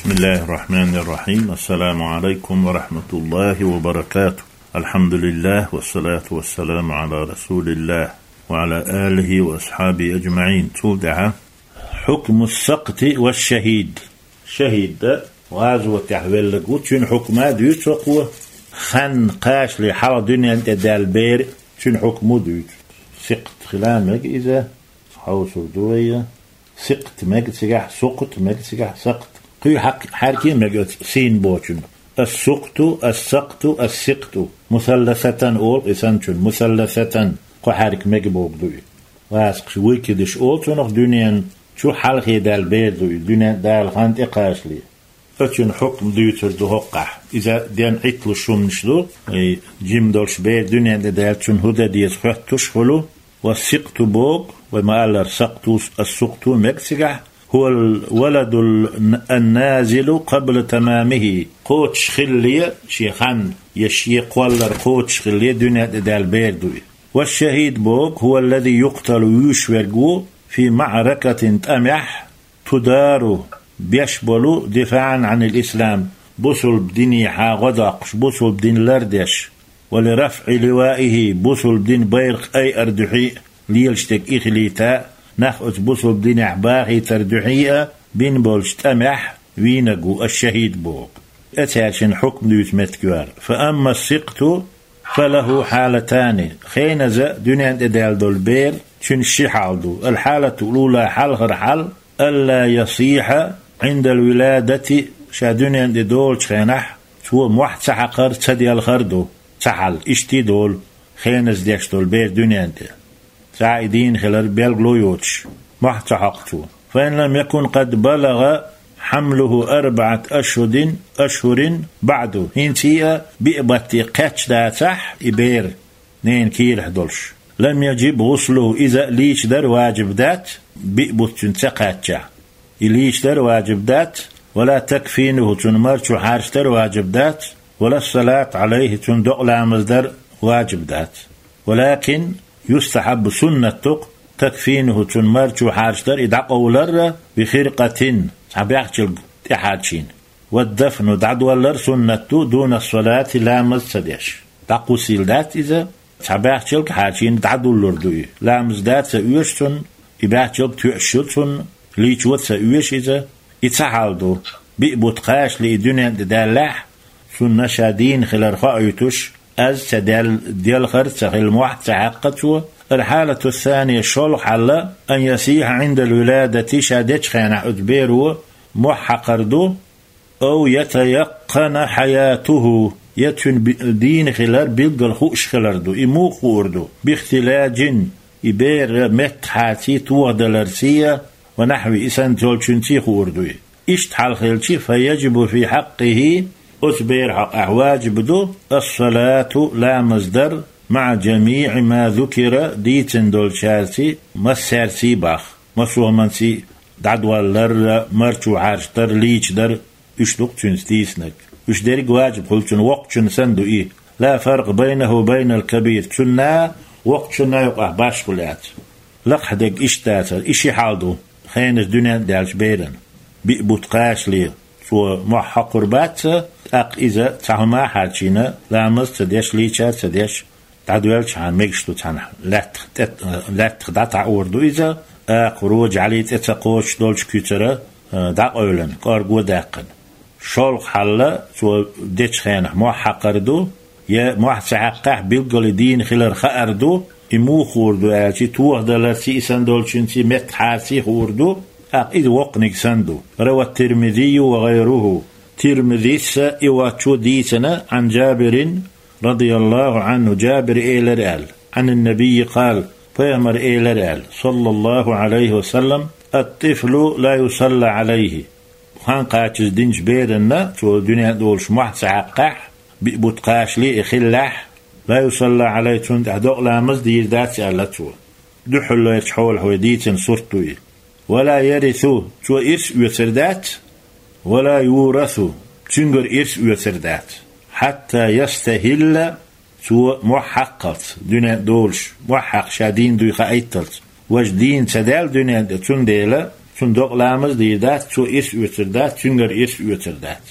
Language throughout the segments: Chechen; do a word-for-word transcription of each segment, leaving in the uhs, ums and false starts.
بسم الله الرحمن الرحيم. السلام عليكم ورحمة الله وبركاته. الحمد لله والصلاة والسلام على رسول الله وعلى آله وأصحابه أجمعين. Цул тӀаьхьа حكم السقط والشهيد. Шахид да, гӀазотехь веллаг ву, цуьнан хьукма дуьйцу хӀокхо, хан кхачале хьалха дуьнен тӀе даьлла бер, цуьнан хьукма дуьйцу. Сикт хила мега иза, хьовсур ду вай. Сикт мега цигахь, сукхт мега цигахь, сакхт. Кхуьй хьакъ-, хьаьрки мега оцу син бочун. Ас-сукхту, ас-сакхту, ас-сикъту. Мусалласатан олу и санчун, мусалласатан, кхо хьаьрк мега боху ду и. Васакхаш вуй кидаш олу цунах, дуьнен чу хьалхе даьлла бер ду и, дуьнен Дала хан тӀе кхачале. Оцуьнан хьукм дуьйцур ду хӀоккхахь. Иза ден Ӏитталуш хӀуманаш ду, и жима долуш бер дуьнен тӀе даьлчун хӀун дан деза хоьттуш хуьлу, ва сикъту боху, вай ма-аллара, сакъту, ас-сукъту мега цигахь, хӀуал валадул н-, ан-назилу къабла тамамихи, кхочуш хилале шен хан, я шен кхоллар кхочуш хилале дуьнен тӀе даьлла бер ду и. Ва шахид боху, хӀуа аллази юкъталу, вуьйш верг ву, фи маӀракатин, тӀамехь, тудару, беш болу, дифаӀан Ӏанил ислам, бусулба динехьа гӀо доккхуш, бусулба дин лардеш, ва ли рафӀи ливаихи, бусулба дин байракх айар дуьхьий а, лелаш дерг и хилийта, нах оцу бусулба динехь бахийтар дуьхьий а бина болчу тӀамехь вийнаг ву ас-шахид боху. Эцаьршинан хьукм дуьйцу меттиг ю хӀара. Фа амма сикъту, фа лаху хьалатани, хеназа дуьнен тӀе даьлла долу бер, цуьнан ши хьал ду. Ал-хьалатул ула, хьалхара хьал, алла ясихьа Ӏиндал виладати, ша дуьнен тӀе долучу хенахь, цо мохь ца хьакхар, ца делхар ду, ца хьал, иштта долу, хеназа деш долу бер дуьнен тӀе. Цхьа а и дийна хилар билгало йоцуш, мохь ца хьокху цо. Фа ин лам якун къад балагӀа хьамлуху арбаӀат ашхудин, ашхурин баӀду, хӀинца а биъ батте кхаьчна дацахь и бер, ненан кийрахь долуш. Лам яжиб гӀуслуху, иза а лийчадар важиб дац, биъ бутт цуьнан ца кхаьччахь. И лийчадар важиб дац, ва ла такфинуху, цунна марчо хьарчадар важиб дац, ва ла салат Ӏалайхи, цунна докъа ламаз дар важиб дац. Валакин юстахьаббу, суннат ду-кх, такфинуху, цунна марчо хьарчадар, и дӀакъовлар а, би хиркъатин, цхьа бехчалг тӀехьарчийна. Ва дафну, дӀадоллар суннат ду, дуна салати, ламаз ца деш. ДӀакхуссийла дац иза, цхьа бехчалг хьарчийна дӀадуллур ду и. Ламаз да ца оьшу цунна, и бехчалг тоьуш ю цунна, лийчо ца оьшу иза. И цхьа хьал ду. Биъ бутт кхачале и дуьнен тӀе даьллехь, цунна ша дийна хилар хоуьйтуш, аз ца дел-, делхар а ца хилла, мохь а ца хьаькхна цо. Ал-хьалату ссания, шолгӀа хьал, ан ясихьа Ӏиндал виладати, ша дечу хенахь оцу беро мохь хьакхар ду, ау ятаяккъана хьаятуху, я цуьнан би-, дийна хилар билггал хууш хилар ду. И муха хуур ду? Бихтилажин, и бер меттахьарций, тохадаларций, ва нахьви, и санна долчуьнций хуур ду и. Иштта хьал хилча, фа яжибу фи хьаккъихи, оцу беран хьокъехь важиб ду, ас-салату, ламаз дар, маӀа жамиӀи ма зукира, дийцина долчаьрций, массаьрций боху, массо а хӀуманций, дӀадоллар а, марчо хьарчадар а, лийчадар а, уьш ду-кх цуьнца дийцинарг. Уьш дерриг а важиб хуьлу цунна, воккхачунна санна ду и. Ла фаркъа байнаху ва байнал кабир, цунна, воккхачунна юкъахь башхалла яц. Лакхахь дерг иштта дацара, и ши хьал ду хеназа дуьнен тӀе даьллачу беран. Биъ бутт кхачале цо мохь хьокхур бац, тӀаккха иза цхьа хӀума а хьарчийна, ламаз а ца деш, лийча а ца деш, дӀадоьллачхьана мегаш ду цхьана лаьттах тӀе, лаьттах дӀатаӀор ду иза, акха рожа Ӏали тӀе ца кхочуш долчу куьцара, а, дӀакъевлина, кӀорго а даьккхина. ШолгӀа хьал, цо дечу хенахь мохь хьакхар ду, я мохь ца хьаькхнехь билггал и дийна хилар хаар ду, и муха хуур ду аьлча, тохадаларций, и санна долчуьнций, меттахьарций хуур ду, тӀаккха иза воккханиг санна ду. Рава Тирмизийю ва гӀайруху. Тирмизис а, и воцчо а дийцина, Ӏан Жабирин, радияллаху Ӏанху, Жабира элира аьлла, Ӏанин набиййи къала, пайхамара элира аьлла, саллаллаху Ӏалайхи ва саллам, ат-тифлу ла юсалла Ӏалайхи. Хан кхачаза динчу беранна, цо дуьнен тӀе долуш мохь ца хьаькхнехь, биъ бутт кхачале и хиллехь, ла юсалла Ӏалайхи, цунна тӀехь докъа ламаз дийр дац аьлла цо. Дуьххьарлерчу хьолахь вай дийцина сурт ду и. Ва ла ярису, цо ирс оьцур дац, ва ла юрасу, цуьнгара ирс оьцур дац. Хьатта ястахилла, цо мохь хьаккхалц, дуьнен тӀе долуш, мохь хьаькхна ша дийна дуй хаийталц. Важа дийна ца даьлла дуьнен тӀе, цундела Цунна докъа ламаз дийр дац, цо ирс оьцур дац, цуьнгара ирс оьцур дац.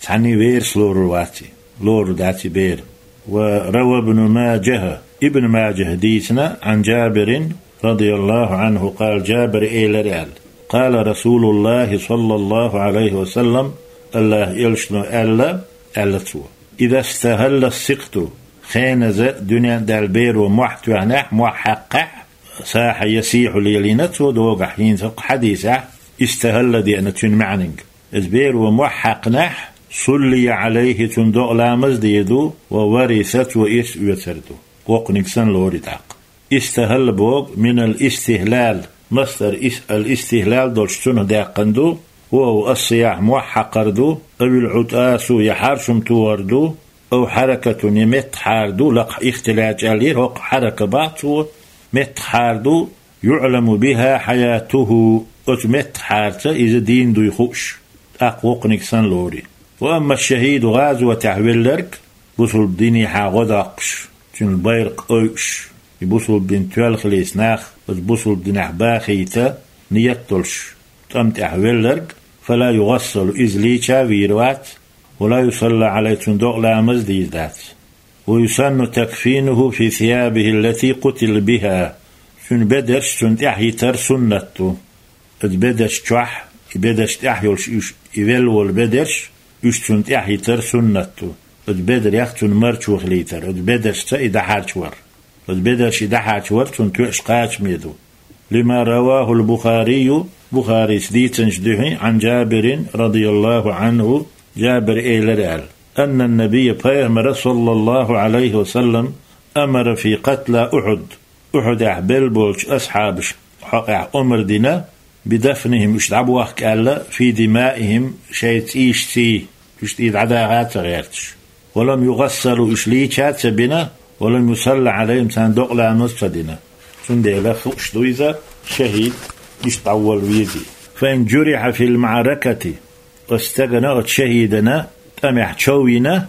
Цхьанне верас лорур вац и, лорур дац и бер. Ва рава Ибн Мажаха, Ибн Мажаха дийцина, Ӏан Джабирин, радияллаху Ӏанху, къала, Джабира элира аьлла: къала Расулуллахи, саллаллаху Ӏалайхи ва саллам, Аллахьа элчано аьлла, аьлла цо: иза стахӀалла ссикъту, хеназа дуьнен а даьлла беро мохь тоьхнехь, мохь хьаькхнехь, сахьа ясихьу, лелийна цо догахь, хӀинца хӀокху хьадисехь истахӀалла деана цуьнан маьӀниг. Иза беро мохь хьаькхнехь, суллия Ӏалайхи, цунна докъа ламаз дийр ду, ва вариса, цо ирс оьцур ду. Воккханиг санна лору и тӀаккха. ИстахӀалла боху минал истихӀлал, масдар ис-, ал истихӀлал долуш цунах даьккхина ду, ва хӀува ас-сияхь, мохь хьакхар ду, авил Ӏутасу, я хьарчам тохар ду, ав хьаракатун, я меттаххьар ду, лакхахь ихтиладжа аьллера, хӀокху хьарака боху цо, меттаххьар ду, юӀламу биха хьаятуху, оцу меттаххьарца иза дийна дуй хууш, тӀаккха воккханиг санна лору и. Ва амма шахӀиду, гӀазотехь велларг, бусулба динехьа гӀо доккхуш, цуьнан байракх ойуш, и бусулба дин тоьлла хилийта нах оцу бусулба динехь бахийта ният долуш, тӀам тӀехь велларг, фала югӀассалу, иза лийча а вийр вац, вала юсалла Ӏалайхи, цунна докъа ламаз дийр дац. Ва юсанну такфинуху фи сиябихи ллати къутила биха, цуьнан бедарш цунна тӀехь йитар суннат ду. Оцу бедарш чохь, и бедарш тӀехь йолуш уьш, и велла волу бедарш, уьш цунна тӀехь йитар суннат ду. Оцу бедарех цунна марчо хилийтар, оцу бедаршца и дӀахьарчавар. Оцу бедарш и дӀахьарчавар цунна тоьаш кхачаме ду. Лима равахул Бухарию, Бухарис дийцинчу дуьхьа, Ӏан Джабирин, радияллаху Ӏанху, Джабира элира аьлла: аннан набийя, пайхамара, саллаллаху Ӏалайхи ва саллам, амара фи къатла Ухьуд, Ухьудехь белла болчу асхьабаш хьокъехь омра дина, бидафнихим, уьш дӀабохка аьлла, фи димаихим, шайн цӀийшций, уьш тӀе дӀадаха а ца гӀерташ. Ва лам югӀассалу, уьш лийча а ца бина, ва лам юсалла Ӏалайхим, царна докъа ламаз а ца дина. Цундела хууш ду иза, шахӀид иштта дӀаволла везий. Фа ин журиха фил маӀракати, оцу стагана, оцу шахӀидана тӀамехь чов йина,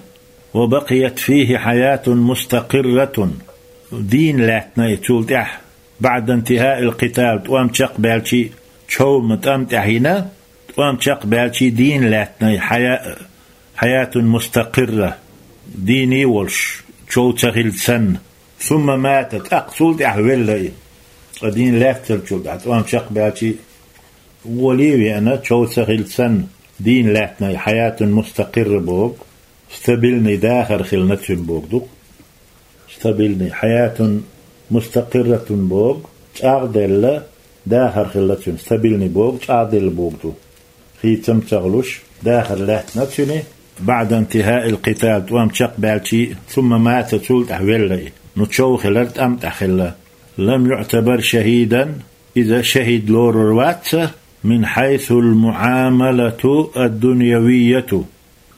ва бакъият фихи хьаятун мустакъирратун, дийна лаьттина и цул тӀаьхьа, баӀда интихаил къитал, тӀом чекхбаьлчий, чов ма тӀам тӀехь йина, тӀом чекхбаьлчий дийна лаьттина и хьая-, хьаятун мустакъирра, дийна а волуш, чов ца хилча санна. Сумма мата, тӀаккха цул тӀаьхьа велла и. Ткъа дийна лаьтталчул тӀаьхьа, тӀом чекхбаьлчий, вуьйла а веана, чов ца хилча санна, дийна лаьттина и хьаятун мустакъирра боху, стабильный дахар хилла цуьнан боху ду-кх. Стабильный, хьаятун мустакъирратун боху, чӀагӀделла дахар хилла цуьнан, стабильный боху, чӀагӀделла боху ду. Хийцам ца хуьлуш, дахар лаьттина цуьнан, баӀда интихаил къитал, тӀом чекхбаьлчий, сумма мата, цул тӀаьхьа велла и. Ну, чов хилар тӀам тӀехь хилла. Лам юӀтабар шахӀидан, иза шахӀид лорур вац, мин хьайсул муӀамалату ад-дуньявийяту,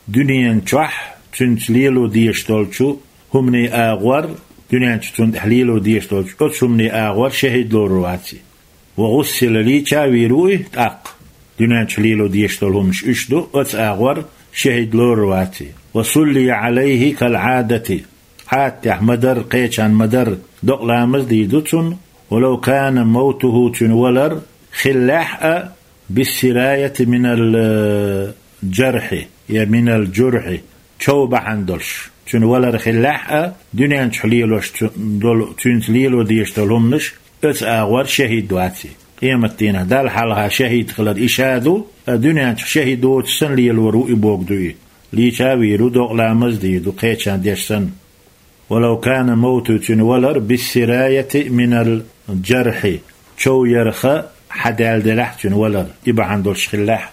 дуьнен чохь цуьнца лело дезаш долчу хӀуманийн агӀор, дуьнен чу цунна тӀехь лело дезаш долчу оцу хӀуманийн агӀор шахӀид лорур вац и. Ва гӀуссила, лийча а вийр ву и тӀаккха, дуьнен чу лело дезаш долу хӀуманаш уьш ду, оцу агӀор шахӀид лорур вац и. Ва суллия Ӏалайхи кал Ӏадати, Ӏадатехь ма-дарра, кхечарна ма-дарра, докъа ламаз дийр ду цунна, ва лав кана мавтуху, цуьнан валар хиллехь а, биссираяти минал, э, жархьи, я минал журхьи, чов бахьана долуш, цуьнан валар хиллехь а, дуьнен чохь лелош цу-, долу, цуьнца лело дезаш долу хӀуманаш, оцу агӀор шахӀид вац и. Къематдийнахь Далла хьалха шахӀид хилар и ша ду, а дуьнен чохь шахӀид воцуш санна лелор ву и боху ду и. Лийча а вийр ву, докъа ламаз дийр ду, кхечарна деш санна. Ва лав кана мавтуху, цуьнан валар, биссираяти минал жархьи, чов ярх хьадаьлла делахь а цуьнан валар, и бахьана долуш хиллехь а.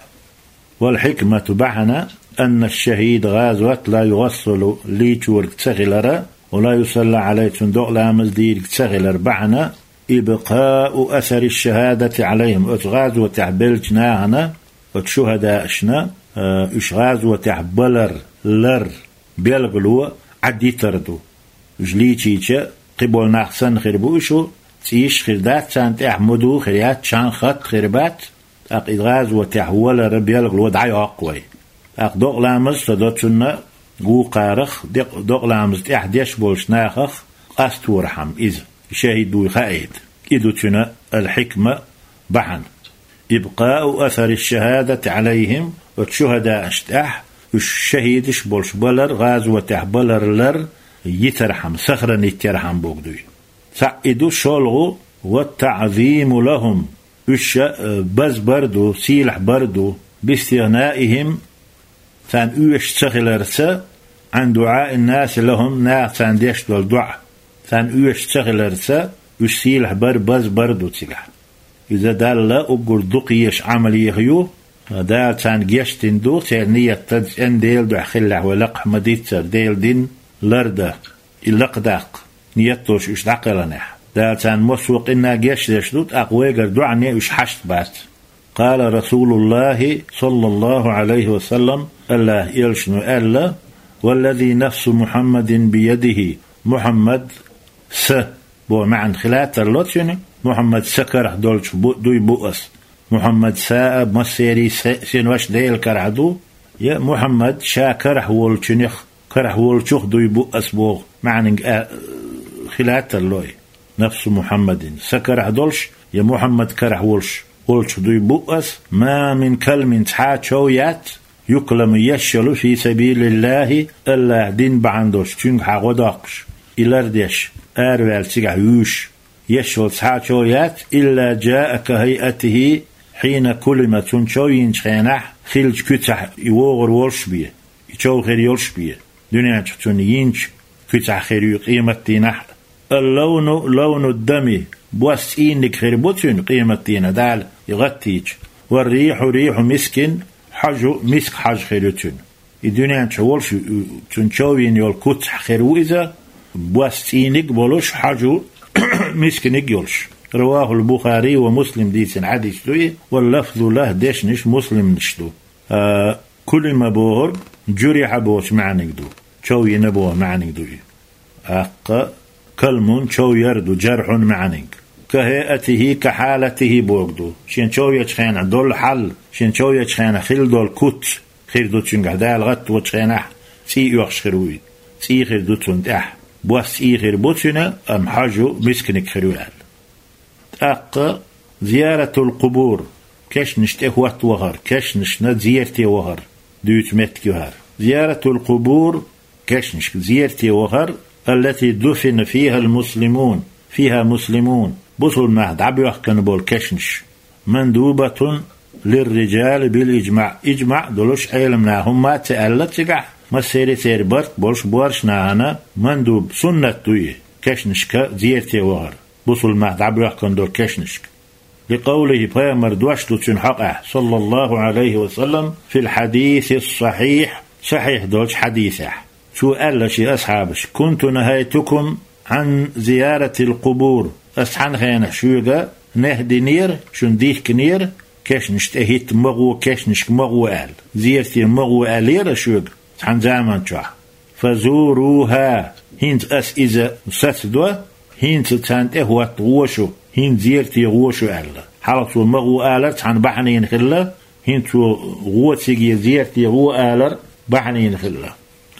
Вал хьикмату, бахьана, анна шахӀида, гӀазот, ла югӀассалу, лийчориг ца хилара, ва ла юсалла Ӏалайхи, цунна докъа ламаз дийриг ца хилар бахьана, ибкъау асари шахӀадати Ӏалайхим, оцу гӀазотехь беллачу нахана, оцу шухӀадаашна, э, уьш гӀазотехь балар, лар, белгало Ӏадитар ду. Уьш лийчийча, кхиболу нах санна хир бу уьш, цӀийш а хир дац, царна тӀехь муду а хир яц, чан-хатт а хир бац, тӀаккха и гӀазотехь валара белгало дӀайоккху вай. ТӀаккха докъа ламаз а ца до цунна, гукхарах, декъ-, докъа ламаз тӀехь деш болчу нахах къасторхьама иза, шахӀид вуй хаийта. И ду цуьнан ал-хьикма, бахьана. إبقاء أثر الشهادة عليهم, оцу шухӀадаашна тӀехь уьш шахӀидаш болуш балар, гӀазотехь балар лар йитархьама, сохранить ярхьама бохург дуй. Цхьаъ и ду, шолгӀа, والتعظيم لهم, уьш, э, базбар ду, сийлахь бар ду, باستغنائهم, царна оьшуш ца хиларца, عن دعاء الناس لهم, наха царна деш долу доӀа, царна оьшуш ца хиларца, уьш сийлахь бар, базбар ду цигахь. Иза Далла уггар дукха езаш Ӏамалех ю, Дала царна гечдина ду, церан ният цӀена Делан дуьхьа хиллехь, вай лакхахь ма-дийццара, Делан дин лардан, и лакхадаккха ният долуш уьш дӀакхелхинехь. Дала царна массо а къинна гечдеш ду, тӀаккха вайгара доӀане уьш хьашт бац. قال رسول الله صلى الله عليه وسلم, АллахӀан Элчано аьлла: والذي نفس محمد بيده, Мухьаммад са боху маьӀна хила тарло цуьнан, Мухьаммад сан карахь долчух бу-, дуй бу ас. Мухьаммад са а, массеран а се-, синош Делан карахь ду, я Мухьаммад ша карахь волчунах, карахь волчух дуй бу ас боху маьӀнанга а-, хила тарло и. نفس محمد, сан карахь долуш, я Мухьаммад карахь волуш, волчух дуй бу ас, ما من كلم, цхьа а чов яц, يكلم, еш йолу, في سبيل الله, АллахӀан дин бахьана долуш, цуьнгахьа гӀо доккхуш, и лардеш, араваьлла цигахь вуьйш, еш йолу цхьа а чов яц, إلا جاء كهيئته حين كلم, цунна чов йинчу хенахь хиллачу куьцехь и вогӀур волуш бен, и чов хир йолуш бен, дуьнен чохь цунна йинчу куьцехь хир ю къематдийнахь а. اللون لون الدم, бос цӀийниг хир бу цуьнан къематдийнахь Дала и гӀаттийча, والريح ريح مسك, хьожа миск хьожа хир ю цуьнан. И дуьнен чохь волуш, цуьнан чов йина йолу куцехь хир ву иза, бос цӀийниг а болуш, хьожа мисканиг а йолуш. رواه البخاري ومسلم, дийцина хьадис ду и, واللفظ له, дешнаш Муслимнаш ду. А, كلم бохург جرح бохучу маьӀниг ду, чов йина боху маьӀниг ду и. ТӀаккха كلم чов яр ду, جرح маьӀниг. كهيئته كحالته бохург ду, шен чов ечу хенахь долу хьал, шен чов ечу хенахь хилла долу куц хир ду цуьнгахь, Дала гӀатточу хенахь цӀий оьхуш хир ву и. ЦӀий хир ду цунна тӀехь. Бос цӀий хир бу цуьнан, амма хьожа мисканиг хир ю аьлла. ТӀаккха زيارة القبور, кешнаш тӀе хӀотта вахар, кешнашна зерате вахар дуьйцу меттиг ю хӀара. زيارة القبور, кешнашка зерате вахар, التي دفن فيها المسلمون, فيها مسلمون, бусулба нах дӀабоьхкина болу кешнаш. مندوبة للرجال بالإجماع, ижмаӀ долуш Ӏеламнаха хӀумма а ца аьлла цигахь, массеран а церан барт болуш боьрша нахана мандуб, суннат ду и, кешнашка зерате вахар, бусулба нах дӀабоьхкина долу кешнашка. لقوله, пайхамар дош ду цуьнан хьокъехь, صلى الله عليه وسلم, في الحديث الصحيح, сахьихь долчу хьадисехь. Цо аьлла шен асхьабашка: كنت نهيتكم عن زيارة القبور, ас цхьана хенахь шуьга нахьи динера, шуна дихкинера, кешнаш тӀе хӀитта ма гӀо, кешнашка ма гӀо аьлла, зерате ма гӀо аьллера шуьга цхьана заман чохь. فزوروها, хӀинца ас иза сацадо, хӀинца царна тӀе хӀотта гӀо шу, хӀинца зерате гӀо шу аьлла. Хьалха цо ма гӀо алар цхьана бахьанина хилла, хӀинца цо гӀо цига, зерате гӀо алар бахьанина хилла.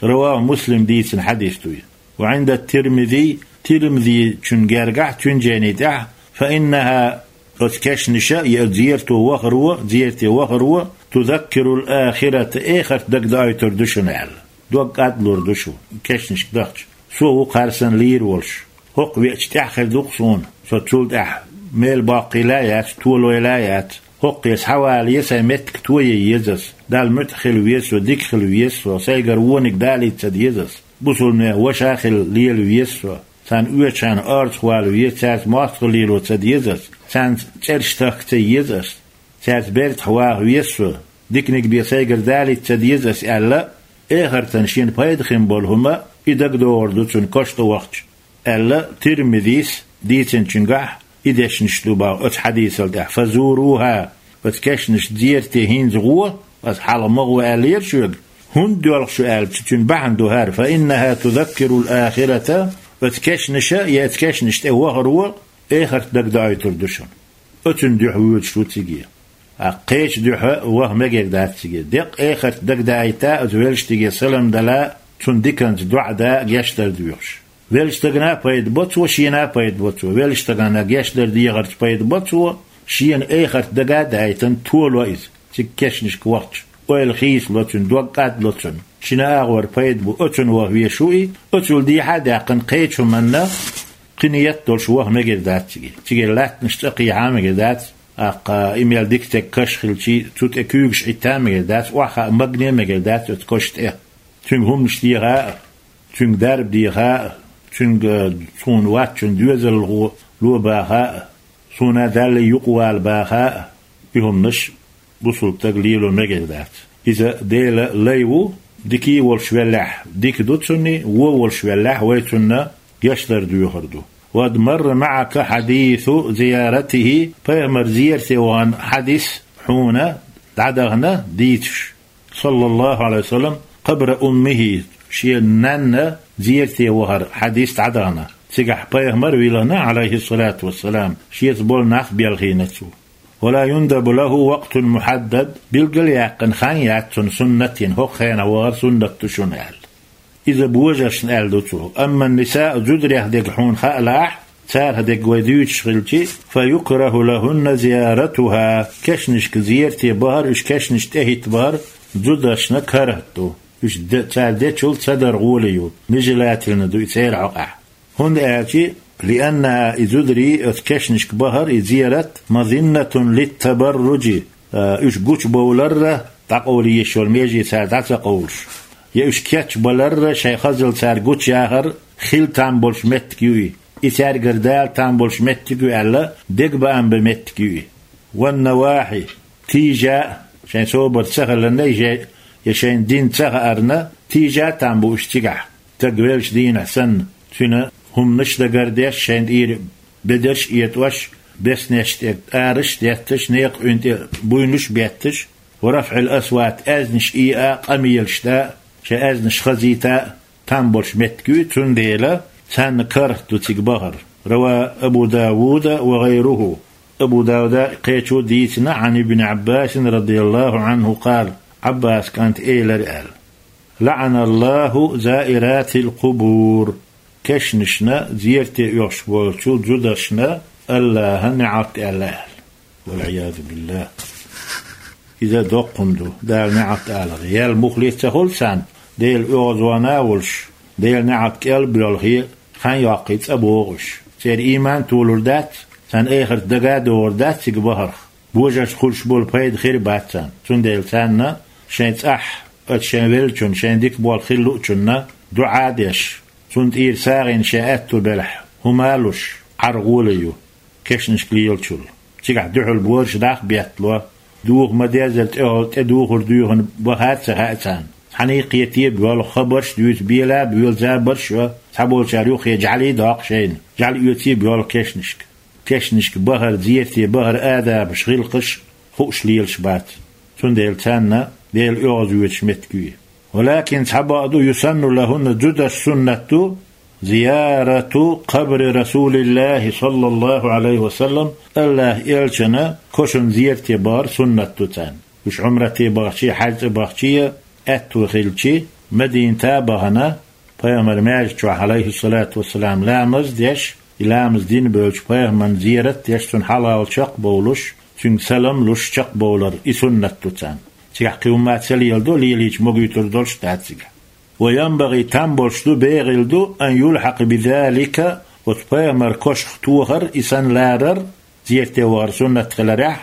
رواه مسلم, дийцина хьадис ду и. وعند الترمذي, Тирмизичун гергахь, цуьнан жайни тӀехь: فإنها, оцу кешнаша я зерато вахаро, зерате вахаро, تذكر الآخرة, эхарт дагадоуьйтур ду шуна аьлла. Дог кӀадлур ду шу, кешнашка дахча. Со ву кхарсан лийр волуш. ХӀокху веача тӀаьхьа хир ду-кх суна. Со цул тӀаьхьа мел боккхийла а яц, толойла а яц. ХӀокхе схьавале сайн меттиг тое еза ас. Далла муьтӀахь хила веза со, дика хила веза со, сайгара вониг далийта ца деза ас. Бусулбанех ваша а хила лела веза со. Царна оьшучарна орцахвала веза, цаьрца мостагӀа лело ца деза ас. Царна цӀераш тахка ца еза ас. Цаьрца бертахь ваха веза со, диканиг бен сайгара далийта ца деза ас аьлла, эхартан шена пайда хин болу хӀума и дагадогӀур ду цунна кошта вахча, аьлла, Тирмизис дийцинчуьнгахь и дешнаш ду боху оцу хьадисал тӀехь: فزوروها, оцу кешнаш зерате хӀинца гӀо, ас хьалха ма гӀо аьллера шуьга, хӀунда доьлху шу аьлча, цуьнан бахьана ду хӀара: فإنها تذكر الآخرة, оцу кешнаша я оцу кешнаш тӀе вахаро эхарт дагадоуьйтур ду шуна. Оцунна дуьхьа воьдуш ву циге. А кхечу дуьхьа ваха мегар дац циге. Деккъа эхарт дагадаийта оцу веллачу стиге салам дала, цунна диканца доӀа да, гечдар доьхуш. Веллачу стагана а пайда бо цо, шена а пайда бо цо. Веллачу стагана гечдар дехарца пайда бо цо, Шена эхарт дага а дайтан толо иза, цига кешнашка вахча. Ойла хийцало цун, дог кӀадло цун. Шина агӀор пайда бу, оцун ваха вешу и, оцул дехьа а даьккхина кхечу манна, кхин етт долуш ваха мегар дац цига. Цига латтанаш цӀа кхехьа а мегар дац, аккха и мел дика стеган каш хилчи, цу тӀе куьйгаш Ӏитта а мегар дац, охьахаа магане а мегар дац оцу каш тӀе. Цуьнга хӀуманаш деха а, цуьнга дарба деха а, цуьнга, цунна ваччун доьзалхо ло баха а, суна Далла юкъавала баха а, и хӀуманаш бусулба стага лело мегар дац. Иза Делан лай ву, дика волуш веллехь, дика ду цунна, вон волуш веллехь, вай цунна гечдар доьхур ду. «وقد مر معك حديث زيارته», пайхамар зерате вахана хьадис хьуна дӀадахана дийцаш. صلى الله عليه وسلم قبر أمه, шен нанна зерате вахара хьадис дӀадахана. Цигахь пайхамар вилхина, عليه الصلاة والسلام, шеца болу нах белхийна цо. «ولا يندب له وقت محدد», билгал а яьккхина хан яц цунна суннатан, хӀокху хенахь вахар суннат ду шуна аьлла. Иза божаршна аьлла ду цо. «أما النساء», зударех дерг хьуна хаалахь, царах дерг вай дуьйцуш хилчи, «فيكره لهن زيارتها», кешнашка зерате бахар, уьш кешнаш тӀехӀитта бахар зударшна карахӀат ду. Уьш де-, цара дечул ца дар гӀоле ю, нежелательно ду и церан хьокъехь. ХӀунда аьлча, «لأنها», и зударий, оцу кешнашка бахар, и зерат, «مظنة للتبرج», а, уьш гучубовларра дӀакъовла езаш йолу меже цара дӀа ца къовлуш. Я уьш кечбаларра, шайн хазалла цара гучуяхар хила там болуш меттиг ю и. И цаьргара дала там болуш меттиг ю аьлла, дегабаам бан меттиг ю и. «والنواحي», тийжа а, шайн собар ца хиларна, я, я шайн дин ца хаарна, тийжа а там бу уьш цигахь. Стаг веллачу дийнахь санна, цуьнан хӀуманаш дагардеш, шайна тӀера бедарш а этӀош, беснеш тӀе араш а детташ, некха Ӏуьйна тӀе буйнаш а бетташ, «ورفع الأصوات», аьзнаш ийа а, къамелаш да а, шайн аьзнаш хазийта а, там болуш меттиг ю и, цундела царна карахӀат ду цига бахар. رواه أبو داود وغيره. Абу Дауда кхечо дийцина, عن ابن عباس رضي الله عنه قال, Ӏаббас кӀанта элира аьлла: «لعن الله زائرات القبور». Кешнашна зерате оьхуш болчу зударшна АллахӀа неӀалт аьлла аьлла. والعياذ بالله. Иза доккха хӀума ду, Дала неӀалт алар. Ял мухле ца хуьлу царна, Делан оьгӀазвахана а волуш, Делан неӀалт кӀел а боьлхий, хан йоккхий цӀа богӀуш. Церан ийман толур дац, царна эхарт дага а догӀур дац цига бахарх. Божаршна хуьлуш болу пайда хир а бац царна. Цундела царна шайн цӀахь, оцу шайн веллачунна, шайн дика болу хила луучунна дуӀа а деш, цунна тӀера сагӀина шайн аьтту белахь, хӀума а луш, Ӏар гӀоле ю, кешнашка лелачул. Цигахь дуьхьал божарш дӀа а беттало, духа ма-деззара тӀехула тӀедухур дуьйхина баха а ца хаьа царна. Цхьаьна кхета а боьлху, хабарш а дуьйцу, бела а боьлу, забарш а йо, цхьаболчара юххе жӀаьлий а доккху шайна, жӀаьла оьций а боьлху кешнашка. Кешнашка бахар, зерате бахар, адабаш, гӀиллакхаш хууш лелаш бац. Цундела царна Делан оьгӀазвоьдуш меттиг ю и. ولكن, цхьабакъду, يسن لهن, зударшна суннат ду, زيارة قبر رسول الله صلى الله عليه وسلم, АллахӀан элчанан кошан зерате бахар суннат ду царна. Уьш Ӏумрате бахчий, хьаьж цӀа бахчий, аьтту хилчи, Мадината а бахана, пайхамаран маьждиг чохь, عليه الصلاة والسلام, ламаз а деш, и ламаз дина бевлчу пайхамарна зерат а деш, цунна хьалхавала чекхбовлуш, цуьнга салам а луш чекхбовлар, и суннат ду царна. Цигахь кхин хӀума ца леладо, лелийча могуьйтур долуш а дац цигахь. وينبغي, там болуш ду, бегӀийла ду, أن يلحق بذلك, оцу пайхамаран кошах тохар, и санна ларар, зерате вахар суннат хиларехь,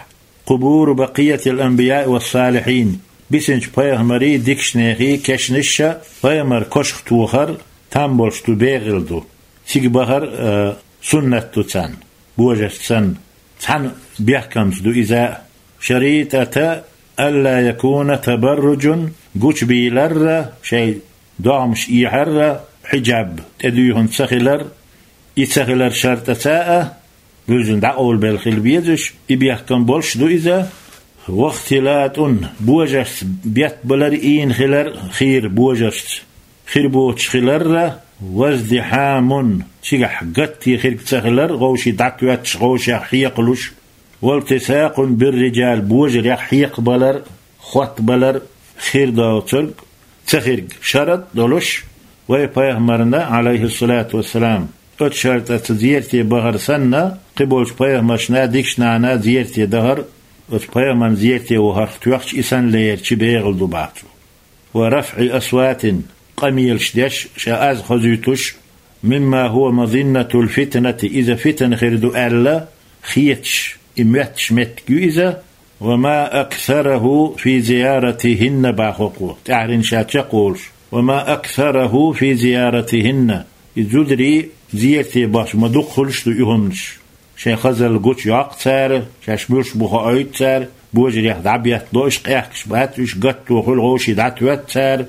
قبور بقية الأنبياء والصالحين, бисинчу пайхамарийн, дикачу нехан кешнаш а пайхамаран кошах тохар там болуш ду, бегӀийла ду. Цига бахар, а, суннат ду царна, божаршца санна. Цхьана бехкамца ду иза а. شريطة ألا يكون تبرج, гучубийлар а, шайн догӀмаш эхьар а, хьиджаб тӀедуьйхина ца хилар, и ца хилар шартаца а, буьззина дӀакъовлабелла хила безаш, и бехкам болуш ду иза. واختلاط, божаршца беттбалар а, ийна хилар а, хийра божаршца хир боцуш хилар а, وازدحام, цигахь гатте хирг ца хилар, вовшийн дӀатоьттуш, вовшех хьекхалуш, والتصاق بالرجال, божарех хьекхабалар а, хоттабалар а хир доцург, ца хирг шарт а долуш, вай пайхамарна, عليه الصلاة والسلام, Оцу шартӀаца зерате бахар санна, кхиболчу пайхамаршна, дикачу нахана зерате дахар, оцу пайхамарна зерате вахарх тоьхча, и санна лерча бегӀал ду баха цо. «Ва рафӀи асватин», къамелаш деш, ша аз хозуьйтуш, «мимма хӀува мазиннатул фитнати», иза фитна хир ду аьлла, хеташ, и моьтташ меттиг ю иза, «ва ма аксарахӀу фи зияратихӀинна», баха кхо, тӀаьхьарнаш ша чекхволуш, «ва ма аксарахӀу фи зияратихӀинна», и зударий зерате бахча ма дукха хуьлуш ду и хӀуманаш. Шайн хазалла гучуйоккху цара, шаьш муьлш бу хоуьйту цара, божарех дӀабеттало уьш, къехкаш бац уьш, гатто хуьлу вовший дӀатоьтту цара,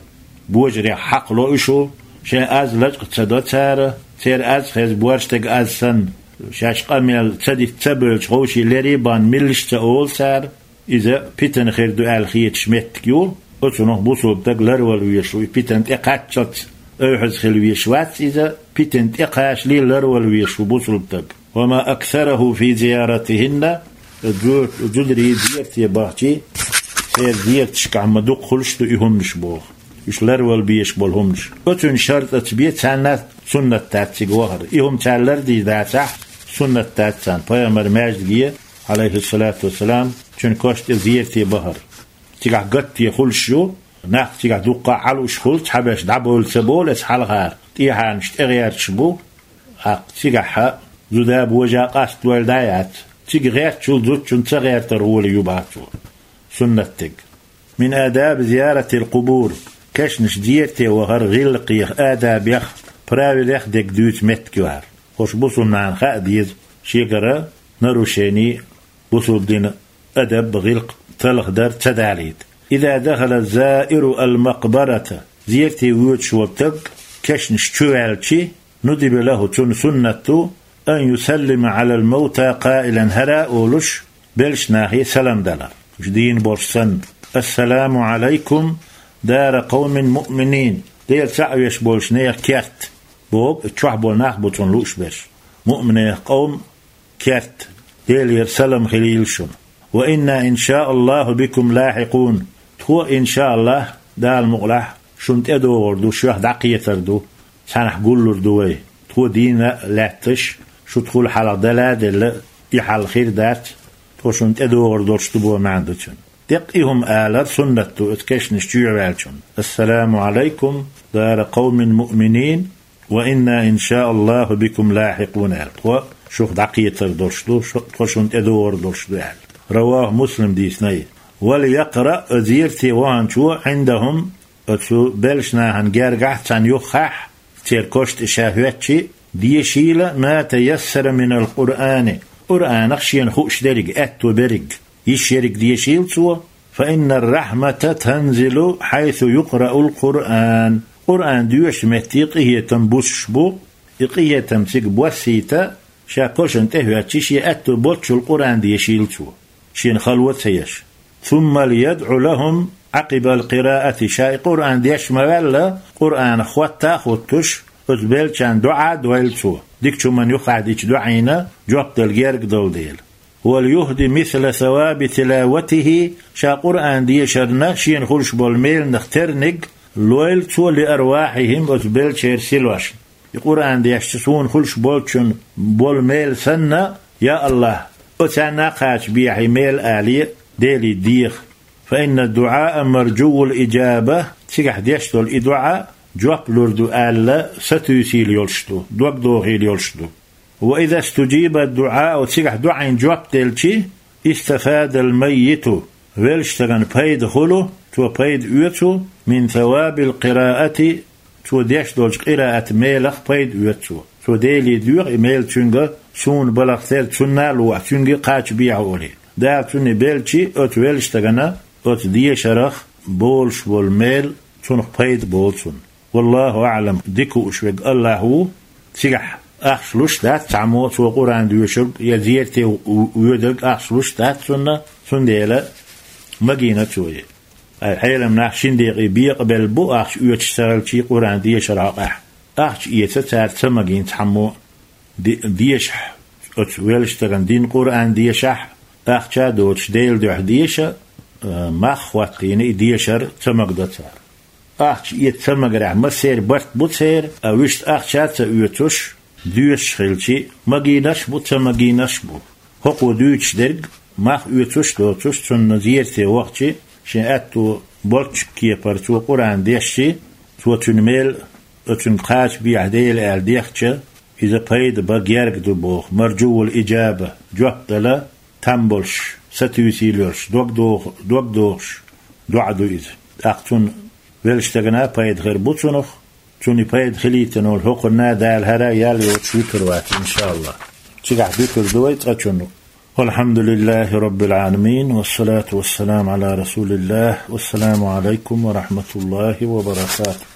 божарех хьакхало уьш ву, шайн аз лачкъа ца до цара, церан аз хеза борш дерг аз санна, шаьш къамел ца дита ца бевлча, вовший лерий бан миллаш ца олу цара. Иза питана хир ду аьлла хеташ меттиг ю, оцунах бусулба стаг ларвала везаш ву, и питана тӀекхаччалц ойхьаза хила везаш вац иза, питана тӀекхачале ларвала везаш ву бусулба стаг. «Ва ма аксарахӀу фи зияратихӀинна», зу-, зударий зерате бахчий, церан зераташкахь ма дукха хуьлуш ду и хӀуманаш боху. Уьш ларвала безаш болу хӀуманаш. Оцуьнан шартӀаца бен царна суннат дац цига вахар. И хӀума цара лардийр дацахь, суннат дац царна. Пайхамар маьждиге, Ӏалайхиссалату вассалам, цуьнан коша тӀе зерате бахар. Цигахь гатте хуьлуш ю, нах цигахь дуккха а Ӏалуш хуьлу, цхьаберш дӀабовла ца болу эца хьалхара, тӀехьарнаш тӀегӀерташ бу, тӀаккха цигахь зуда божа къастадойла дӀа а яц. Цига гӀертачул зудчунна ца гӀертар гӀоли ю баха цо. Суннат дерг. «Мин адаби зияратил къубур», кешнаш зерате вахар гӀиллакхех, адабех, правилех дерг дуьйцу меттиг ю хӀара. ХӀорш бусулба нахана хаа деза, шегара нарушений бусулба дина адаб, гӀиллакх талхадар ца далийта. «Иза дахала заиру ал-макъбарата», зерате воьдуш волу стаг кешнаш чу ваьлчи, «нудиба лахӀу», цунна суннат ду, «ан юсаллима Ӏалал мавта къаилан», хӀара а олуш, беллачу нахе салам далар. Уьш дийна болуш санна: «Ассаламу Ӏалайкум, дара къавмин муъминин», Дела цхьаъ веш болчу нехан керт, боху, чохь болу нах бу цунна лууш берш. Муъминех къовм керт, Делера салам хилийла шуна. «Ва инна, иншааллаху, бикум лахьикъун». Тхо, иншааллах, Дала мукъалахь, шуна тӀедогӀур ду, шух дӀакхетар ду, цхьаьнахь гуллур ду вай. Тхо дийна а лаьтташ, шу тхула хьалха дала а делла, и хьал хир дац, тхо шуна тӀедогӀур долуш ду боху маьӀна ду цуьнан. Деккъа и хӀума алар суннат ду оцу кешнаш чу ваьллачунна: «Ассаламу Ӏалайкум, дара къавмин муъминин, ва инна, иншааллаху, бикум лахьикъун», аьлла. Тхо шух дӀакхетар долуш ду, шу-, тхо шуна тӀедогӀур долуш ду, аьлла. Раваху, Муслим дийцина и. «Вал якъраъ», зерате ваханчо, «Ӏиндахум», оцу беллачу нахана гергахь, царна юххехь, церан коша тӀе ша хӀоьттичи, дешийла, «ма таяссара минал Къуръани», Къуръанах шена хууш дерриг, аьтто берриг, йиш ерриг дешийла цо, «фа иннар рахьмата танзилу хьайсу юкъраул Къуръан». Къуръан доьшучу метте къинхетам буссуш бу, и къинхетам цига боссийта, ша кошана тӀе хӀоьттичи, шен аьтто боцчул Къуръан дешийла цо, шена хало ца еш. «Сумма льядъу лахум Ӏакъибал къираати», ша и Къуръан деш ма ваьлла, Къуръанах хотта а хуттуш, оцу беллачарна доӀа а дойла цо, дикачу хӀуманна юххехь дечу доӀина жоп дала герга долу дела. «Вал юхди мисла саваби тилаватихи», ша Къуръан дешарна шена хуьлуш болу меланах терниг лойла цо, «ли арвахьихим», оцу беллачеран силошна. И Къуръан дешча суна хуьлуш болчун болу мела санна, я АллахӀ, оцарна а кхачабехьа и мела, алий, Деле деха. «Фа инна дуӀаа маржуввул иджаба», цигахь деш долу и доӀа жоп лур ду аьлла, сатуьйсийла йолуш ду, дог дохийла йолуш ду. «Ва иза студжиба дуӀаа», цигахь доӀина жоп делчи, «истафадал маййиту», веллачу стагана пайда хуьлу, цо пайда оьцу, «мин савабил къираати», цо деш долчу къираат мелах пайда оьцу цо. Цо Деле доьху и мел цуьнга, суна балхах терра цунна а лохьа, цуьнга а кхачабехьа олий. Дала цунна и беллачи, оцу веллачу стагана оцу дешарах болуш болу мел цунах пайда болу цунна. Валлаху аӀлам, дика хууш верг АллахӀ ву, цигахь ахча луш дац цхьаммо, цо Къуръан доьшург я зерате в-, воьдург ахча луш дац цунна, цундела магийна цо и. Ай, хьелам нах шина декъе бекъабелла бу ахча оьцуш ца хилчий Къуръан дешаран хьокъехь. Ахча эца цара ца магийна цхьаммо. Де-, дешахь, оцу веллачу стагана дин Къуръан дешахь, ахча а доцуш Делан дуьхьа деша, а, мах а хӀоттийна и дешар ца магадо цара. Ахча эца ца магарехь массеран барт бу церан, а вуьшта ахча а ца оьцуш, доьшуш хилча, магийнарш а бу, ца магийнарш а бу. ХӀокхо дуьйцуш дерг мах оьцуш а доцуш, цунна зерате вахча, шен аьтто болчу кепара цо Къуръан дешча, цо цуьнан мел а, цуьнга кхача бехьа Дела аьлла дехча, иза пайда бан герга ду боху, маржувал иджаба, жоп дала там болуш, сатуьйсийла йолуш, дог доху-, дог дохуш доӀа ду иза. ТӀаккха цунна веллачу стагана пайда хир бу цунах, цунна и пайда хилийтина волу хӀокхунна Дала хӀара ял йоцуш вуьтур вац, иншааллахӀ. Цигахь дуьтур ду вай цкъачунна. والحمد لله رب العالمين، والصلاة والسلام على رسول الله، والسلام عليكم ورحمة الله وبركاته.